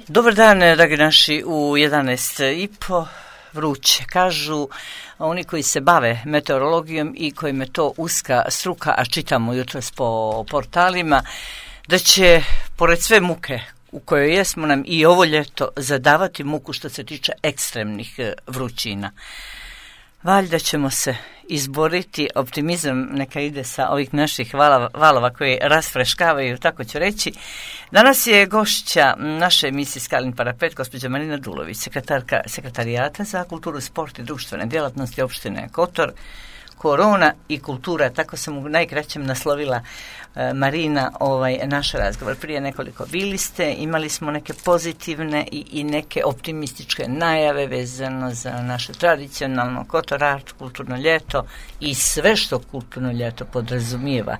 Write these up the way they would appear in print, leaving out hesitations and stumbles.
Dobar dan, dragi naši, u 11:30 vruće. Kažu oni koji se bave meteorologijom i kojima je to uska struka, a čitamo jutros po portalima, da će, pored sve muke u kojoj jesmo, nam i ovo ljeto zadavati muku što se tiče ekstremnih vrućina. Valjda ćemo se izboriti, optimizam neka ide sa ovih naših valova koji rasfreškavaju, tako ću reći. Danas je gošća naše emisije Skalin parapet, gospođa Marina Dulović, sekretarka Sekretarijata za kulturu, sport i društvene djelatnosti opštine Kotor. Korona i kultura, tako sam u najkraćem naslovila, Marina, naš razgovor. Prije nekoliko bili ste, imali smo neke pozitivne i neke optimističke najave vezano za naše tradicionalno Kotor Art, kulturno ljeto i sve što kulturno ljeto podrazumijeva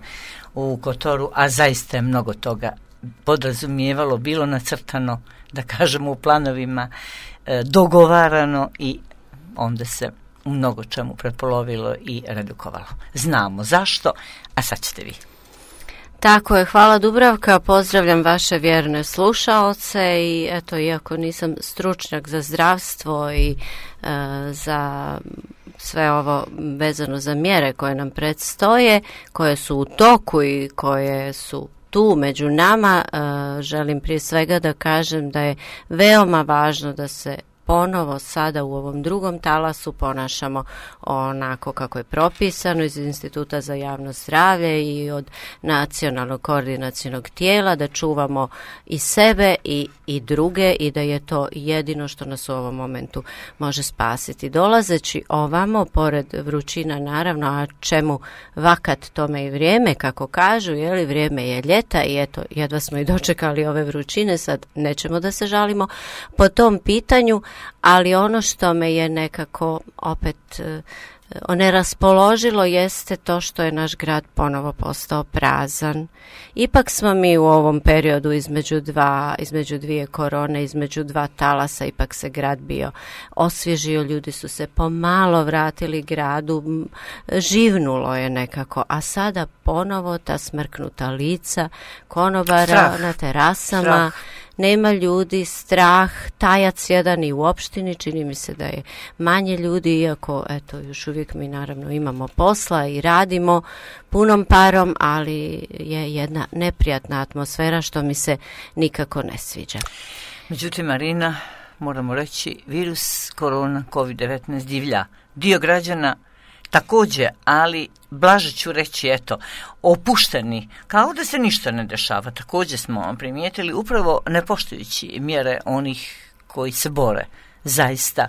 u Kotoru, a zaista je mnogo toga podrazumijevalo, bilo nacrtano, da kažemo u planovima, dogovarano i onda se u mnogo čemu prepolovilo i redukovalo. Znamo zašto, a sad ćete vi. Tako je, hvala Dubravka, pozdravljam vaše vjerne slušaoce i eto, iako nisam stručnjak za zdravstvo i za sve ovo vezano za mjere koje nam predstoje, koje su u toku i koje su tu među nama, želim prije svega da kažem da je veoma važno da se ponovo sada u ovom drugom talasu ponašamo onako kako je propisano iz Instituta za javno zdravlje i od nacionalnog koordinacionog tijela, da čuvamo i sebe i druge i da je to jedino što nas u ovom momentu može spasiti. Dolazeći ovamo, pored vrućina naravno, a čemu vakat tome i vrijeme, kako kažu, vrijeme je ljeta i eto, jedva smo i dočekali ove vrućine, sad nećemo da se žalimo po tom pitanju, ali ono što me je nekako opet oneraspoložilo jeste to što je naš grad ponovo postao prazan. Ipak smo mi u ovom periodu između dvije korone, između dva talasa, ipak se grad bio osvježio, ljudi su se pomalo vratili gradu, živnulo je nekako, a sada ponovo ta smrknuta lica konobara na terasama, nema ljudi, strah, tajac jedan i u opštini, čini mi se da je manje ljudi, iako eto, još uvijek mi naravno imamo posla i radimo punom parom, ali je jedna neprijatna atmosfera što mi se nikako ne sviđa. Međutim, Marina, moramo reći, virus korona COVID-19 divlja. Dio građana također, ali blaže ću reći, opušteni, kao da se ništa ne dešava. Također smo primijetili, upravo ne poštujući mjere onih koji se bore, zaista,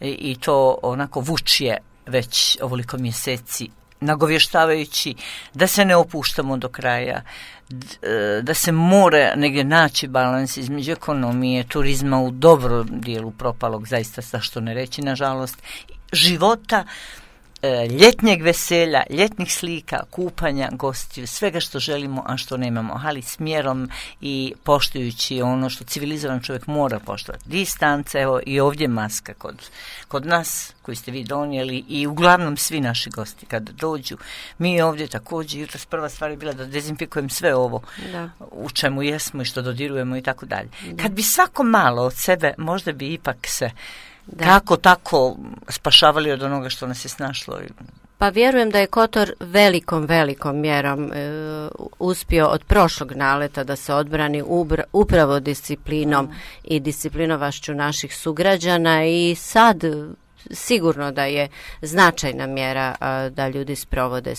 i to onako vučje već ovoliko mjeseci, nagovještavajući da se ne opuštamo do kraja, da se mora negdje naći balans između ekonomije, turizma u dobrom dijelu propalog, zaista zašto ne reći, nažalost, života, ljetnjeg veselja, ljetnih slika, kupanja, gostiju, svega što želimo, a što nemamo, ali s mjerom i poštujući ono što civilizovan čovjek mora poštovati. Distance, evo i ovdje maska kod nas koji ste vi donijeli i uglavnom svi naši gosti kad dođu. Mi ovdje također, jutros prva stvar je bila da dezinfikujem sve ovo u čemu jesmo i što dodirujemo i tako dalje. Kad bi svako malo od sebe, možda bi ipak se kako tako spašavali od onoga što nas je snašlo. Pa vjerujem da je Kotor velikom mjerom uspio od prošlog naleta da se odbrani upravo disciplinom i disciplinovašću naših sugrađana i sad sigurno da je značajna mjera da ljudi sprovode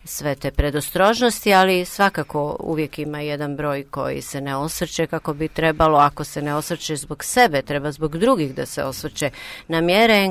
sve te predostrožnosti, ali svakako uvijek ima jedan broj koji se ne osvrće kako bi trebalo. Ako se ne osvrće zbog sebe, treba zbog drugih da se osvrće na mjere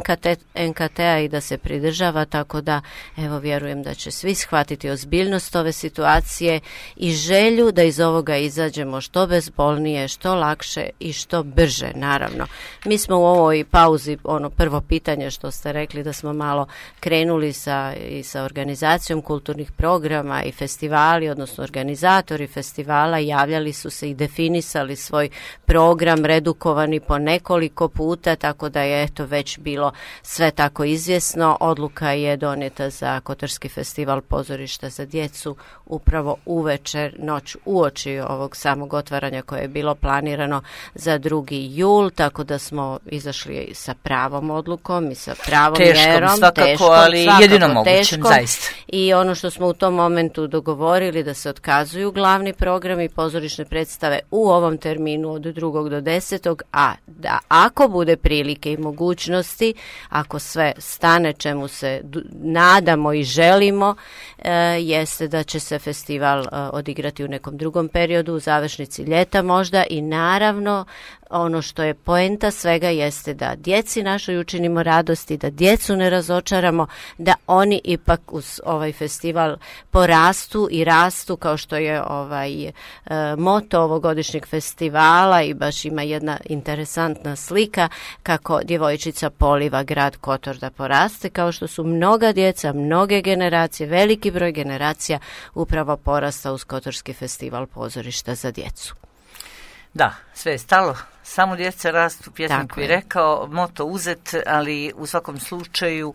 NKT-a i da se pridržava, tako da evo vjerujem da će svi shvatiti ozbiljnost ove situacije i želju da iz ovoga izađemo što bezbolnije, što lakše i što brže, naravno. Mi smo u ovoj pauzi prvo ovo pitanje što ste rekli da smo malo krenuli sa organizacijom kulturnih programa i festivali, odnosno organizatori festivala javljali su se i definisali svoj program, redukovani po nekoliko puta, tako da je već bilo sve tako izvjesno. Odluka je donijeta za Kotorski festival pozorišta za djecu upravo uvečer, noć uoči ovog samog otvaranja koje je bilo planirano za 2. jul, tako da smo izašli sa pravom odlukom i sa pravom mjerom. Svakako, ali jedino mogućem, zaista. I ono što smo u tom momentu dogovorili da se otkazuju glavni programi i pozorišne predstave u ovom terminu od 2. do 10. a da ako bude prilike i mogućnosti, ako sve stane čemu se nadamo i želimo, jeste da će se festival odigrati u nekom drugom periodu, u završnici ljeta možda, i naravno ono što je poenta svega jeste da djeci našoj učinimo radosti, da djecu ne razočaramo, da oni ipak uz ovaj festival porastu i rastu, kao što je moto ovogodišnjeg festivala, i baš ima jedna interesantna slika kako djevojčica poliva grad Kotor da poraste, kao što su mnoga djeca, mnoge generacije, veliki broj generacija upravo porasta uz Kotorski festival pozorišta za djecu. Da, sve je stalo, samo djeca rastu, pjesnik bi rekao, moto uzet, ali u svakom slučaju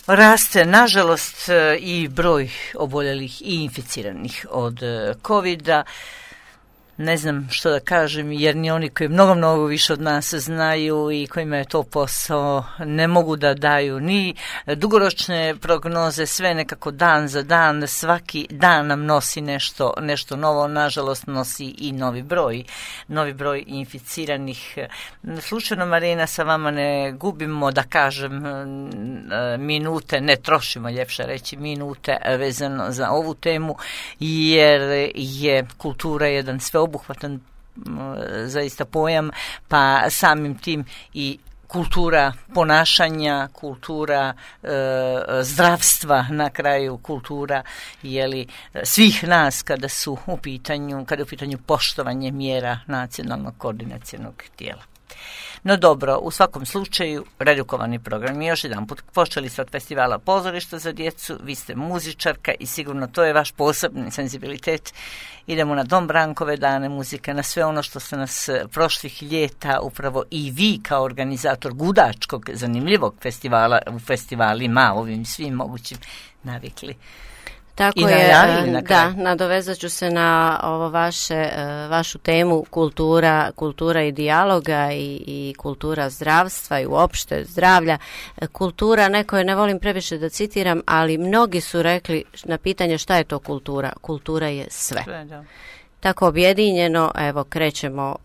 raste, nažalost, i broj oboljelih i inficiranih od COVID-a. Ne znam što da kažem, jer ni oni koji mnogo više od nas znaju i kojima je to posao ne mogu da daju ni dugoročne prognoze, sve nekako dan za dan, svaki dan nam nosi nešto novo, nažalost nosi i novi broj inficiranih. Slučajno, Marina, sa vama ne gubimo, da kažem, minute, ne trošimo, ljepše reći, minute vezano za ovu temu, jer je kultura jedan sveobuhvatan zaista pojam, pa samim tim i kultura ponašanja, kultura zdravstva, na kraju kultura svih nas kada je u pitanju poštovanje mjera nacionalnog koordinacionog tijela. No dobro, u svakom slučaju, redukovani program. Još jedan put, počeli ste od festivala pozorišta za djecu, vi ste muzičarka i sigurno to je vaš posebni senzibilitet. Idemo na Dom Brankove dane muzike, na sve ono što ste nas prošlih ljeta upravo i vi kao organizator gudačkog, zanimljivog festivala u festivalima, ovim svim mogućim navikli. Tako je, da, nadovezat ću se na ovo vašu temu kultura i dijaloga i kultura zdravstva i uopšte zdravlja. Kultura, neko je, ne volim previše da citiram, ali mnogi su rekli na pitanje šta je to kultura. Kultura je sve. Tako objedinjeno, evo, krećemo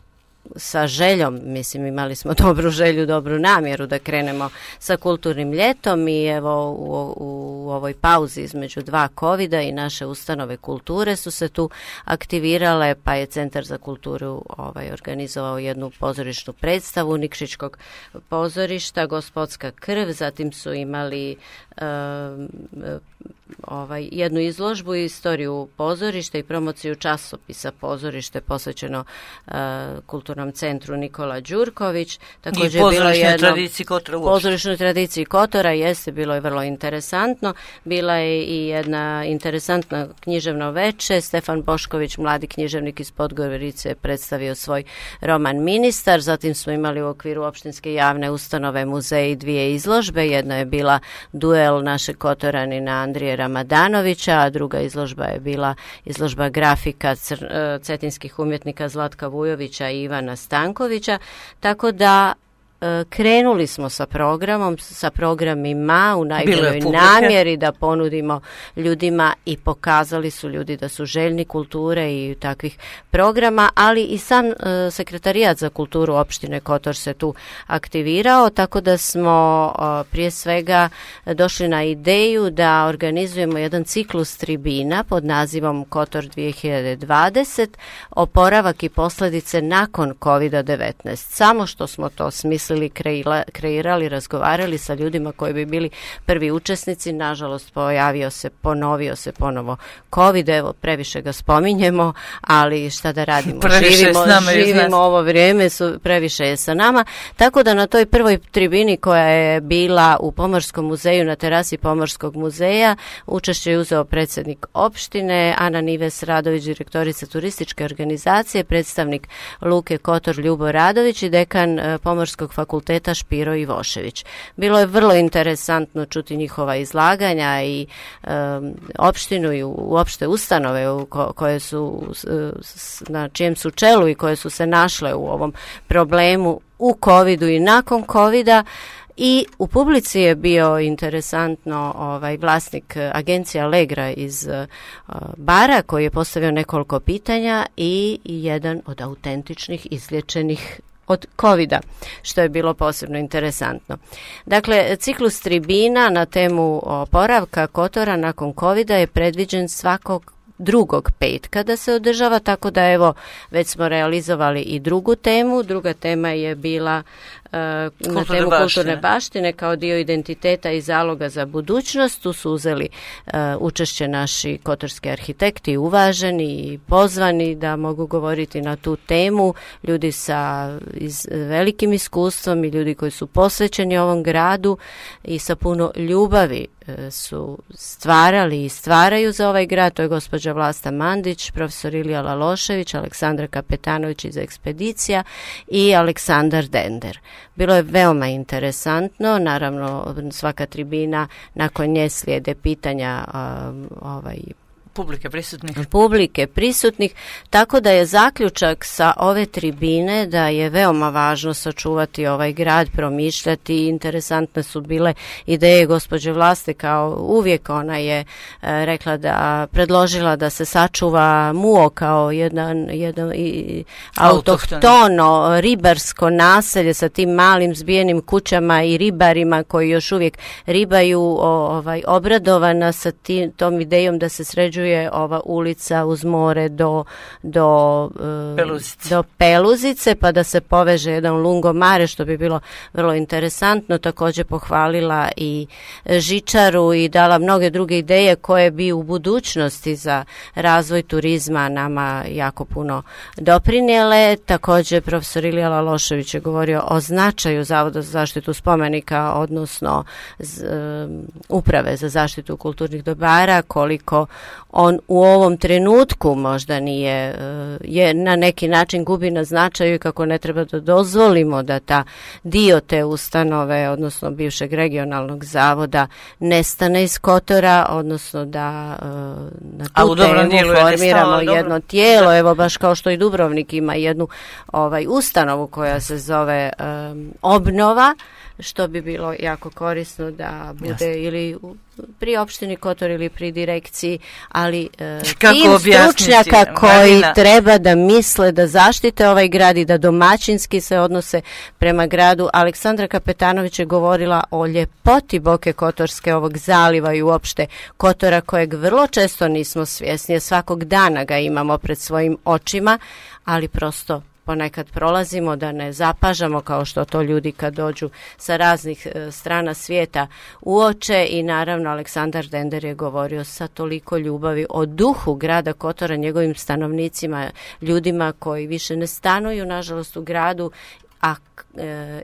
sa željom, mislim imali smo dobru želju, dobru namjeru da krenemo sa kulturnim ljetom i evo u ovoj pauzi između 2 covida i naše ustanove kulture su se tu aktivirale, pa je Centar za kulturu organizovao jednu pozorišnu predstavu Nikšićkog pozorišta, Gospodska krv, zatim su imali jednu izložbu i istoriju pozorišta i promociju časopisa Pozorište posvećeno Kulturnom centru Nikola Đurković. Također i tradiciji Kotora uopšte. Pozorišnoj tradiciji Kotora, jeste, bilo je vrlo interesantno. Bila je i jedna interesantna književno veče. Stefan Bošković, mladi književnik iz Podgorice, je predstavio svoj roman Ministar. Zatim smo imali u okviru opštinske javne ustanove muzeji 2 izložbe. Jedna je bila duel našeg Kotoranina Andrije Ramadanovića, a druga izložba je bila izložba grafika cetinskih umjetnika Zlatka Vujovića i Ivana Stankovića, tako da krenuli smo sa programima u najboljoj namjeri da ponudimo ljudima i pokazali su ljudi da su željni kulture i takvih programa, ali i sam Sekretarijat za kulturu opštine Kotor se tu aktivirao, tako da smo prije svega došli na ideju da organizujemo jedan ciklus tribina pod nazivom Kotor 2020, oporavak i posljedice nakon COVID-19. Samo što smo to smislili mislili, kreirali, razgovarali sa ljudima koji bi bili prvi učesnici. Nažalost, ponovio se ponovo COVID, evo, previše ga spominjemo, ali šta da radimo, živimo ovo vrijeme, previše je sa nama, tako da na toj prvoj tribini koja je bila u Pomorskom muzeju, na terasi Pomorskog muzeja, učešće je uzeo predsjednik opštine, Ana Nives Radović, direktorica turističke organizacije, predstavnik Luke Kotor Ljubo Radović i dekan Pomorskog fakulteta Špiro Ivošević. Bilo je vrlo interesantno čuti njihova izlaganja i opštinu i uopšte ustanove koje su na čijem su čelu i koje su se našle u ovom problemu u covidu i nakon covida. I u publici je bio interesantno vlasnik agencija Allegra iz bara koji je postavio nekoliko pitanja i jedan od autentičnih izliječenih od covida, što je bilo posebno interesantno. Dakle, ciklus tribina na temu oporavka Kotora nakon covida je predviđen svakog drugog petka da se održava, tako da evo već smo realizovali i drugu temu. Druga tema je bila na temu kulturne baštine kao dio identiteta i zaloga za budućnost. Tu su uzeli učešće naši kotorski arhitekti, uvaženi i pozvani da mogu govoriti na tu temu, ljudi sa velikim iskustvom i ljudi koji su posvećeni ovom gradu i sa puno ljubavi su stvarali i stvaraju za ovaj grad. To je gospođa Vlasta Mandić, profesor Ilija Lalošević, Aleksandra Kapetanović iz Ekspedicija i Aleksandar Dender. Bilo je veoma interesantno, naravno svaka tribina, nakon nje slijede pitanja publike prisutnih, tako da je zaključak sa ove tribine da je veoma važno sačuvati ovaj grad, promišljati. Interesantne su bile ideje gospođe Vlaste, kao uvijek ona je predložila da se sačuva Muo kao jedan autohtono ribarsko naselje sa tim malim zbijenim kućama i ribarima koji još uvijek ribaju, obradovana sa tom idejom da se sređuje ova ulica uz more do Peluzice, pa da se poveže jedan lungomare, što bi bilo vrlo interesantno. Također pohvalila i žičaru i dala mnoge druge ideje koje bi u budućnosti za razvoj turizma nama jako puno doprinijele. Također profesor Ilija Lalošević je govorio o značaju Zavoda za zaštitu spomenika, odnosno Uprave za zaštitu kulturnih dobara, koliko on u ovom trenutku možda je na neki način gubi na značaju i kako ne treba da dozvolimo da ta dio te ustanove, odnosno bivšeg regionalnog zavoda, nestane iz Kotora, odnosno da na tu temu formiramo jedno tijelo, evo baš kao što i Dubrovnik ima jednu ustanovu koja se zove Obnova, što bi bilo jako korisno da bude ili pri opštini Kotor ili pri direkciji, ali tim stručnjaka koji treba da misle da zaštite ovaj grad i da domaćinski se odnose prema gradu. Aleksandra Kapetanović je govorila o ljepoti Boke Kotorske, ovog zaliva i uopšte Kotora, kojeg vrlo često nismo svjesni, svakog dana ga imamo pred svojim očima, ali prosto ponekad prolazimo da ne zapažamo, kao što to ljudi kad dođu sa raznih strana svijeta uoče. I naravno Aleksandar Dender je govorio sa toliko ljubavi o duhu grada Kotora, njegovim stanovnicima, ljudima koji više ne stanuju nažalost u gradu,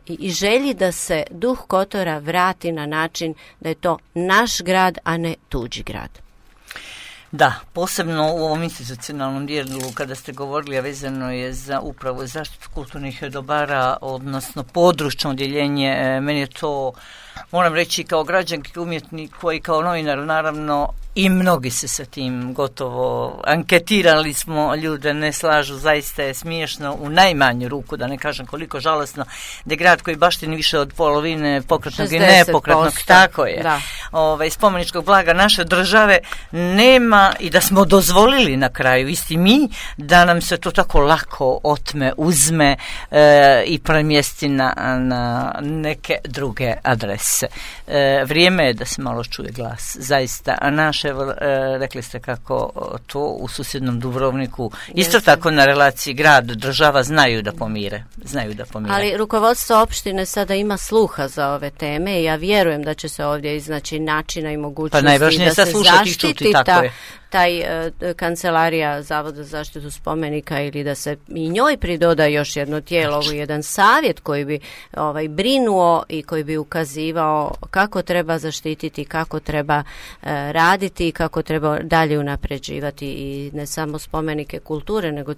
i želji da se duh Kotora vrati na način da je to naš grad, a ne tuđi grad. Da, posebno u ovom institucionalnom dijelu kada ste govorili, a vezano je za upravo zaštitu kulturnih dobara, odnosno područno odjeljenje, meni je to, moram reći, kao građanki, umjetnik koji kao novinar, naravno, i mnogi se sa tim gotovo anketirali smo ljude, ne slažu, zaista je smiješno u najmanju ruku, da ne kažem koliko žalosno, da je grad koji baštini više od polovine pokretnog i nepokretnog, tako je, spomeničkog blaga naše države nema, i da smo dozvolili na kraju, isti mi, da nam se to tako lako otme, uzme i premjesti na neke druge adrese. Vrijeme je da se malo čuje glas, zaista, a naše inače rekli ste kako to u susjednom Dubrovniku isto tako na relaciji grad, država znaju da pomire. Ali rukovodstvo opštine sada ima sluha za ove teme i ja vjerujem da će se ovdje iznaći načina i mogućnosti da se zaštiti taj kancelarija Zavoda za zaštitu spomenika ili da se i njoj pridoda još jedno tijelo, jedan savjet koji bi brinuo i koji bi ukazivao kako treba zaštititi, kako treba raditi i kako treba dalje unapređivati i ne samo spomenike kulture, nego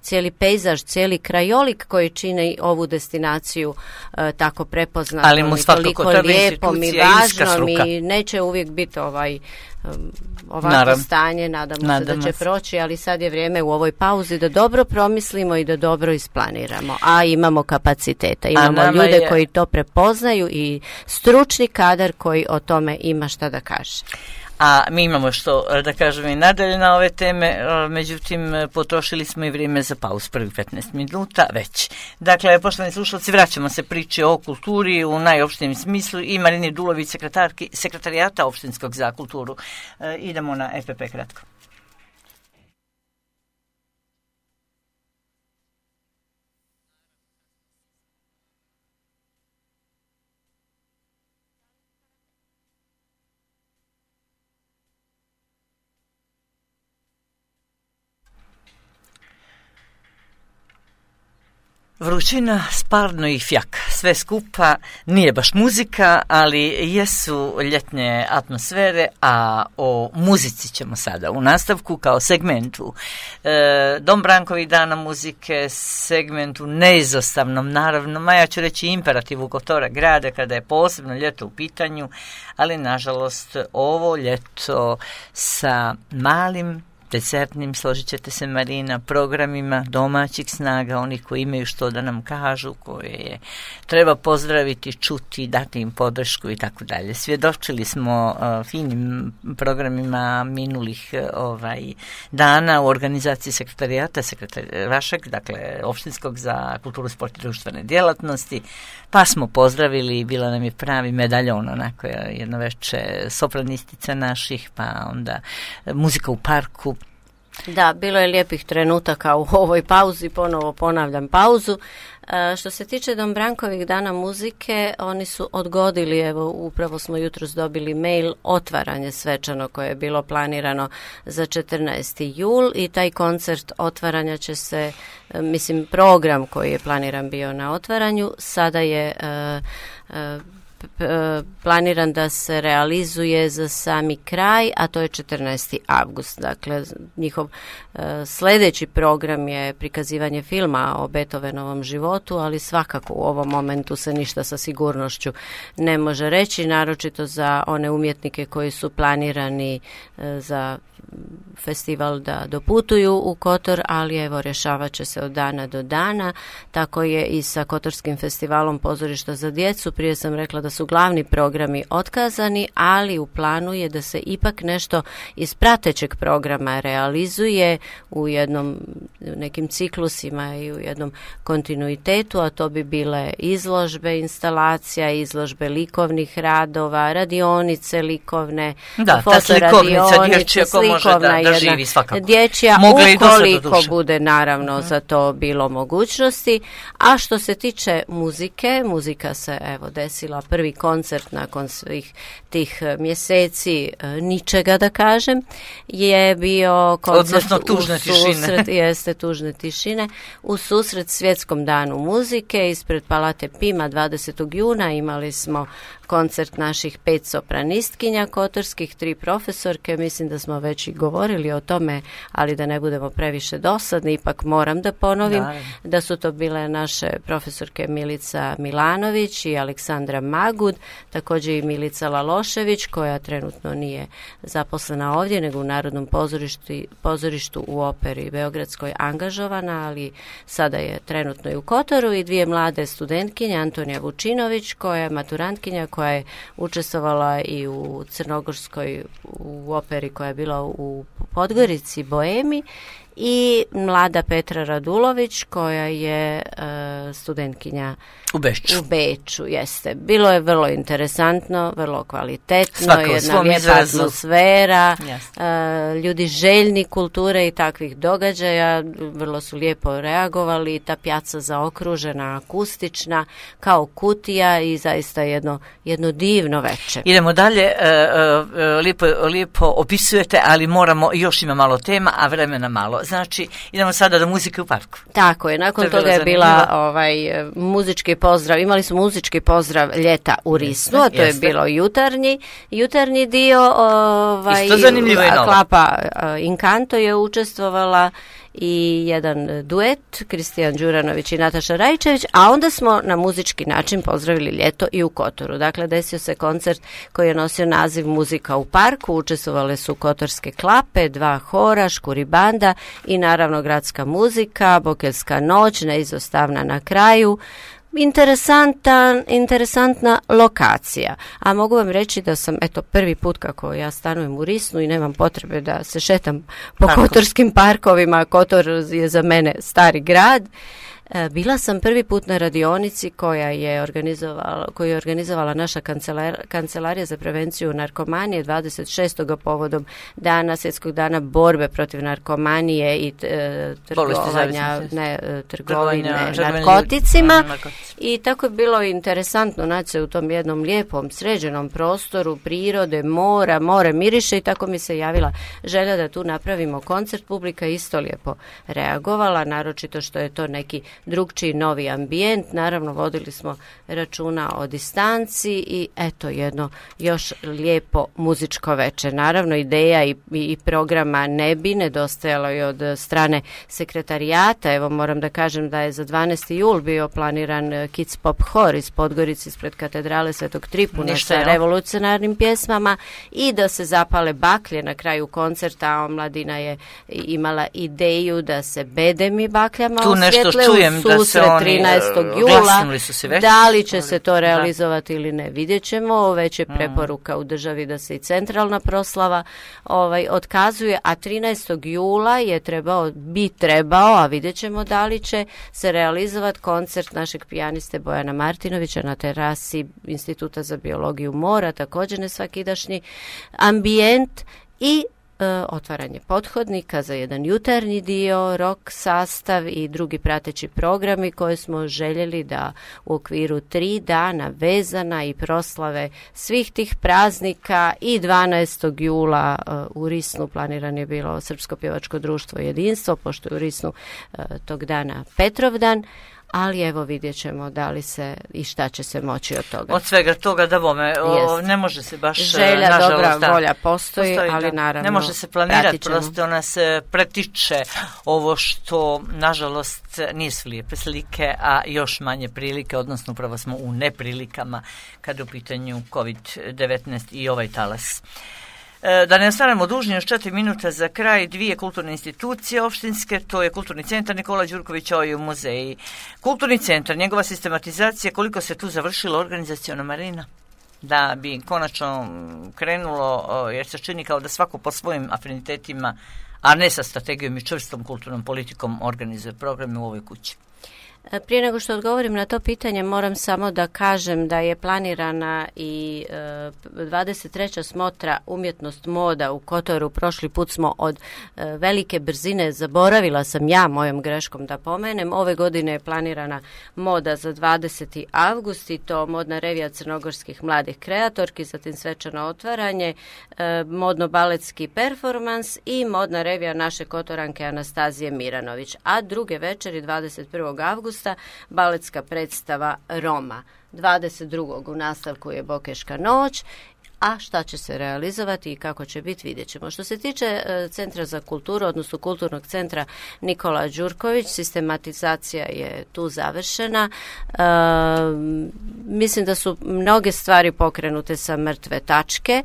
cijeli pejzaž, cijeli krajolik koji čine ovu destinaciju tako prepoznatom i toliko lijepom i važnom i neće uvijek biti ovako stanje, nadamo se da će proći, ali sad je vrijeme u ovoj pauzi da dobro promislimo i da dobro isplaniramo, a imamo kapaciteta, imamo ljude koji to prepoznaju i stručni kadar koji o tome ima šta da kaže. A mi imamo što da kažemo i nadalje na ove teme, međutim potrošili smo i vrijeme za pauz, prvih 15 minuta već. Dakle, poštovani slušalci, vraćamo se priče o kulturi u najopštijem smislu i Marini Dulović, sekretarijata opštinskog za kulturu. Idemo na EPP kratko. Vrućina, sparno i fjak. Sve skupa nije baš muzika, ali jesu ljetne atmosfere, a o muzici ćemo sada u nastavku kao segmentu Dom Brankovih dana muzike, segmentu neizostavnom, naravno, ja ću reći imperativu Kotora grada kada je posebno ljeto u pitanju, ali nažalost ovo ljeto sa malim desertnim, složit ćete se Marina, programima domaćih snaga, onih koji imaju što da nam kažu, koje treba pozdraviti, čuti, dati im podršku i tako dalje. Svjedočili smo finim programima minulih dana u organizaciji sekretarijata vašeg, dakle opštinskog za kulturu, sport i društvene djelatnosti, pa smo pozdravili, bila nam je pravi medaljon, onako jedno veče sopranistica naših, pa onda muzika u parku. Da, bilo je lijepih trenutaka u ovoj pauzi, ponovo ponavljam pauzu. Što se tiče Dom Brankovih dana muzike, oni su odgodili, evo upravo smo jutros dobili mail, otvaranje svečano koje je bilo planirano za 14. jul i taj koncert otvaranja će se, program koji je planiran bio na otvaranju, sada je planiran da se realizuje za sami kraj, a to je 14. avgust. Dakle, njihov sljedeći program je prikazivanje filma o Beethovenovom životu, ali svakako u ovom momentu se ništa sa sigurnošću ne može reći, naročito za one umjetnike koji su planirani za festival da doputuju u Kotor, ali evo rješavat će se od dana do dana. Tako je i sa Kotorskim festivalom pozorišta za djecu. Prije sam rekla da su glavni programi otkazani, ali u planu je da se ipak nešto iz pratećeg programa realizuje u nekim ciklusima i u jednom kontinuitetu, a to bi bile izložbe instalacija, izložbe likovnih radova, radionice likovne, fotoradionice, slikovna jedna dječja, ukoliko bude naravno za to bilo mogućnosti. A što se tiče muzika se evo desila, prvi koncert nakon svih tih mjeseci ničega da kažem, je bio koncert tužne tišine u susret Svjetskom danu muzike ispred Palate Pima 20. juna. Imali smo koncert naših 5 sopranistkinja kotorskih, 3 profesorke, mislim da smo već i govorili o tome, ali da ne budemo previše dosadni, ipak moram da ponovim da su to bile naše profesorke Milica Milanović i Aleksandra Magud, također i Milica Lalošević, koja trenutno nije zaposlena ovdje, nego u Narodnom pozorištu u Operi Beogradskoj angažovana, ali sada je trenutno i u Kotoru, i 2 mlade studentkinje, Antonija Vučinović, koja je maturantkinja, koja je učestvovala i u Crnogorskoj u operi koja je bila u Podgorici, Boemi, i mlada Petra Radulović koja je studentkinja u Beču, jeste. Bilo je vrlo interesantno, vrlo kvalitetno, jedna lijepa atmosfera, ljudi željni kulture i takvih događaja, vrlo su lijepo reagovali, ta pjaca zaokružena, akustična, kao kutija i zaista jedno divno večer. Idemo dalje, lijepo opisujete, ali još ima malo tema, a vremena malo. Znači, idemo sada do muzike u parku. Tako je, nakon toga je bila muzički pozdrav, imali smo muzički pozdrav ljeta u Risnu, a to je bilo jutarnji dio, isto zanimljivo i novo. Klapa Inkanto je učestvovala i jedan duet, Kristijan Đuranović i Nataša Rajčević, a onda smo na muzički način pozdravili ljeto i u Kotoru. Dakle, desio se koncert koji je nosio naziv Muzika u parku, učestvovale su kotorske klape, 2 hora, škuri banda i naravno gradska muzika, Bokeljska noć, neizostavna na kraju. Interesantna lokacija, a mogu vam reći da sam prvi put kako ja stanujem u Risnu i nemam potrebe da se šetam po kotorskim parkovima. Kotor je za mene stari grad. Bila sam prvi put na radionici koju je organizovala naša kancelarija za prevenciju narkomanije 26. povodom Svjetskog dana borbe protiv narkomanije i trgovine narkoticima. I tako je bilo interesantno naći se u tom jednom lijepom, sređenom prostoru prirode, more miriše i tako mi se javila želja da tu napravimo koncert. Publika isto lijepo reagovala, naročito što je to neki drugčiji novi ambijent. Naravno vodili smo računa o distanci i jedno još lijepo muzičko večer. Naravno ideja i programa ne bi nedostajalo i od strane sekretarijata. Evo moram da kažem da je za 12. jul bio planiran Kids Pop Hor iz Podgorice ispred katedrale Svetog Tripuna sa revolucionarnim pjesmama i da se zapale baklje na kraju koncerta, a omladina je imala ideju da se bedemi bakljama osvjetle u susret 13. jula. Da li će se to realizovati ili ne, vidjet ćemo. Već je preporuka u državi da se i centralna proslava otkazuje, a 13. jula je trebao, a vidjet ćemo da li će se realizovati koncert našeg pijaniste Bojana Martinovića na terasi Instituta za biologiju mora, također nesvakidašnji ambijent i otvaranje pothodnika za jedan jutarnji dio, rock sastav i drugi prateći programi koje smo željeli da u okviru 3 dana vezana i proslave svih tih praznika i 12. jula u Risnu planiran je bilo Srpsko pjevačko društvo Jedinstvo, pošto je u Risnu tog dana Petrovdan. Ali evo vidjet ćemo da li se i šta će se moći od toga. Od svega toga da bome, ne može se baš želja, nažalost, dobra volja postoji, ali naravno ne može se planirati, prosto ona se pretiče ovo što nažalost nisu lijepe slike, a još manje prilike, odnosno upravo smo u neprilikama kada je u pitanju COVID-19 i ovaj talas. Da ne ostanemo dužni, još 4 minuta za kraj, 2 kulturne institucije opštinske, to je Kulturni centar Nikola Đurković i muzeji. Kulturni centar, njegova sistematizacija, koliko se tu završilo organizaciona, Marina? Da bi konačno krenulo, jer se čini kao da svako po svojim afinitetima, a ne sa strategijom i čvrstom kulturnom politikom organizuje programe u ovoj kući. Prije nego što odgovorim na to pitanje, moram samo da kažem da je planirana i 23. smotra Umjetnost moda u Kotoru. Prošli put smo od velike brzine, zaboravila sam ja mojom greškom da pomenem. Ove godine je planirana moda za 20. avgust i to modna revija crnogorskih mladih kreatorki, zatim svečano otvaranje, modno-baletski performans i modna revija naše Kotoranke Anastazije Miranović. A druge večeri 21. avgusta baletska predstava Roma. 22. u nastavku je Bokeška noć, a šta će se realizovati i kako će biti, vidjet ćemo. Što se tiče Centra za kulturu, odnosno Kulturnog centra Nikola Đurković, sistematizacija je tu završena. Mislim da su mnoge stvari pokrenute sa mrtve tačke.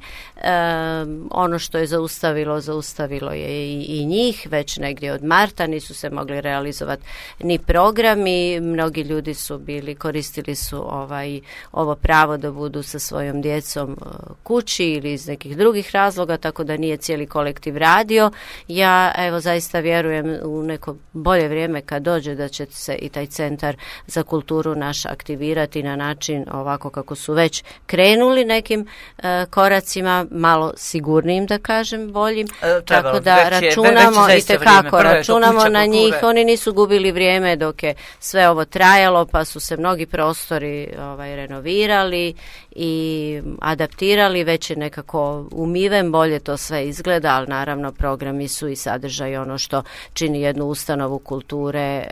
Ono što je zaustavilo je i njih, već negdje od marta nisu se mogli realizovati ni programi. Mnogi ljudi koristili su ovo pravo da budu sa svojom djecom kući ili iz nekih drugih razloga, tako da nije cijeli kolektiv radio. Ja evo zaista vjerujem u neko bolje vrijeme kad dođe da će se i taj centar za kulturu naš aktivirati na način ovako kako su već krenuli nekim koracima, malo sigurnijim da kažem, boljim, tako da računamo i tekako računamo na njih. Oni nisu gubili vrijeme dok je sve ovo trajalo, pa su se mnogi prostori renovirali i adaptirali, već je nekako umiven, bolje to sve izgleda, ali naravno programi su i sadržaj ono što čini jednu ustanovu kulture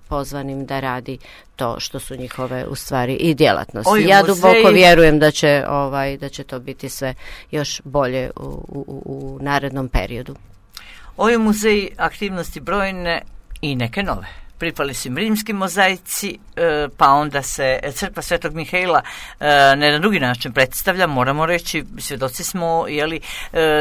pozvanim da radi to što su njihove u stvari i djelatnosti. Ja duboko vjerujem da će to biti sve još bolje u narednom periodu. Ovi muzeji aktivnosti brojne i neke nove. Pripali su im rimski mozaici, pa onda se crkva Svetog Mihaila na jedan drugi način predstavlja, moramo reći, svjedoci smo,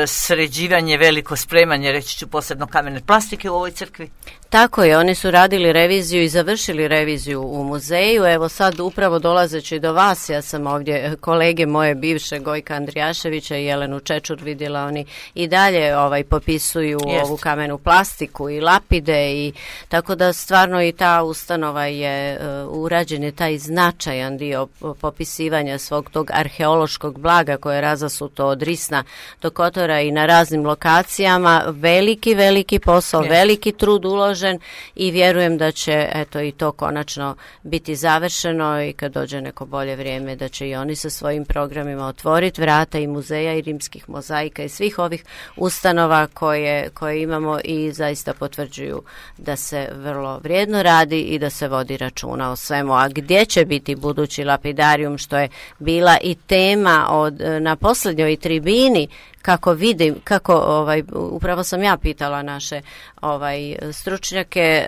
sređivanje, veliko spremanje, reći ću posebno kamene plastike u ovoj crkvi. Tako je, oni su radili reviziju i završili reviziju u muzeju. Evo sad upravo dolazeći do vas, ja sam ovdje kolege moje bivše Gojka Andrijaševića i Jelenu Čečur vidjela, oni i dalje popisuju ovu kamenu plastiku i lapide, i tako da stvarno i ta ustanova je urađen je taj značajan dio popisivanja svog tog arheološkog blaga koje je razasuto od Risna do Kotora i na raznim lokacijama. Veliki posao, veliki trud uložen i vjerujem da će i to konačno biti završeno i kad dođe neko bolje vrijeme da će i oni sa svojim programima otvoriti vrata i muzeja i rimskih mozaika i svih ovih ustanova koje imamo i zaista potvrđuju da se vrlo vrijedno radi i da se vodi računa o svemu. A gdje će biti budući lapidarijum, što je bila i tema na posljednjoj tribini, kako vidim, upravo sam ja pitala naše stručnjake,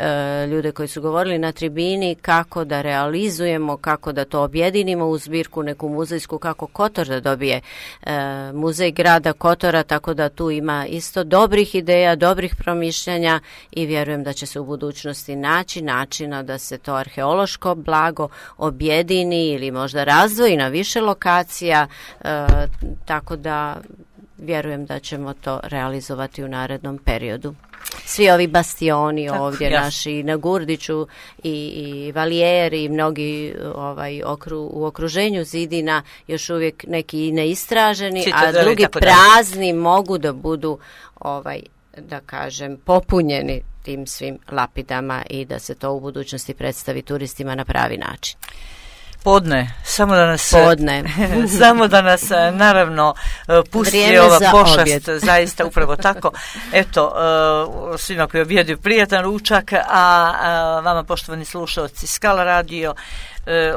ljude koji su govorili na tribini, kako da realizujemo, kako da to objedinimo u zbirku neku muzejsku, kako Kotor da dobije muzej grada Kotora, tako da tu ima isto dobrih ideja, dobrih promišljanja i vjerujem da će se u budućnosti naći načina da se to arheološko blago objedini ili možda razdvoji na više lokacija, tako da vjerujem da ćemo to realizovati u narednom periodu. Svi ovi bastioni ovdje naši na Gurdiću i Valijeri i mnogi u okruženju zidina još uvijek neki neistraženi, a drugi prazni mogu da budu da kažem popunjeni tim svim lapidama i da se to u budućnosti predstavi turistima na pravi način. Samo da nas naravno pusti vrijeme ova pošast, objed. Zaista upravo tako. Eto, svima koji objeduju prijatan ručak, a vama poštovani slušalci Skala radio,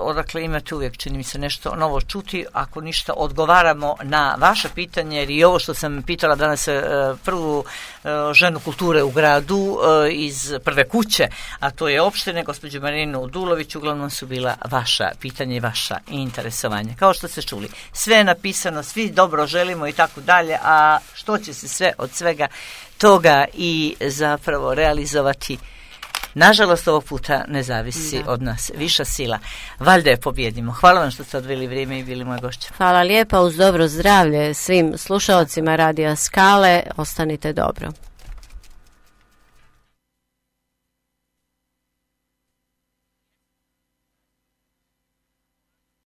odakle imate uvijek, čini mi se, nešto novo čuti. Ako ništa, odgovaramo na vaše pitanje, jer i ovo što sam pitala danas prvu ženu kulture u gradu iz prve kuće, a to je opštine, gospođu Marinu Udulović, uglavnom su bila vaša pitanja i vaša interesovanja. Kao što ste čuli, sve je napisano, svi dobro želimo i tako dalje, a što će se sve od svega toga i zapravo realizovati, nažalost ovog puta ne zavisi od nas. Viša sila. Valjda je pobjedimo. Hvala vam što ste odveli vrijeme i bili moja gošća. Hvala lijepa, uz dobro zdravlje svim slušaocima Radija Skale. Ostanite dobro.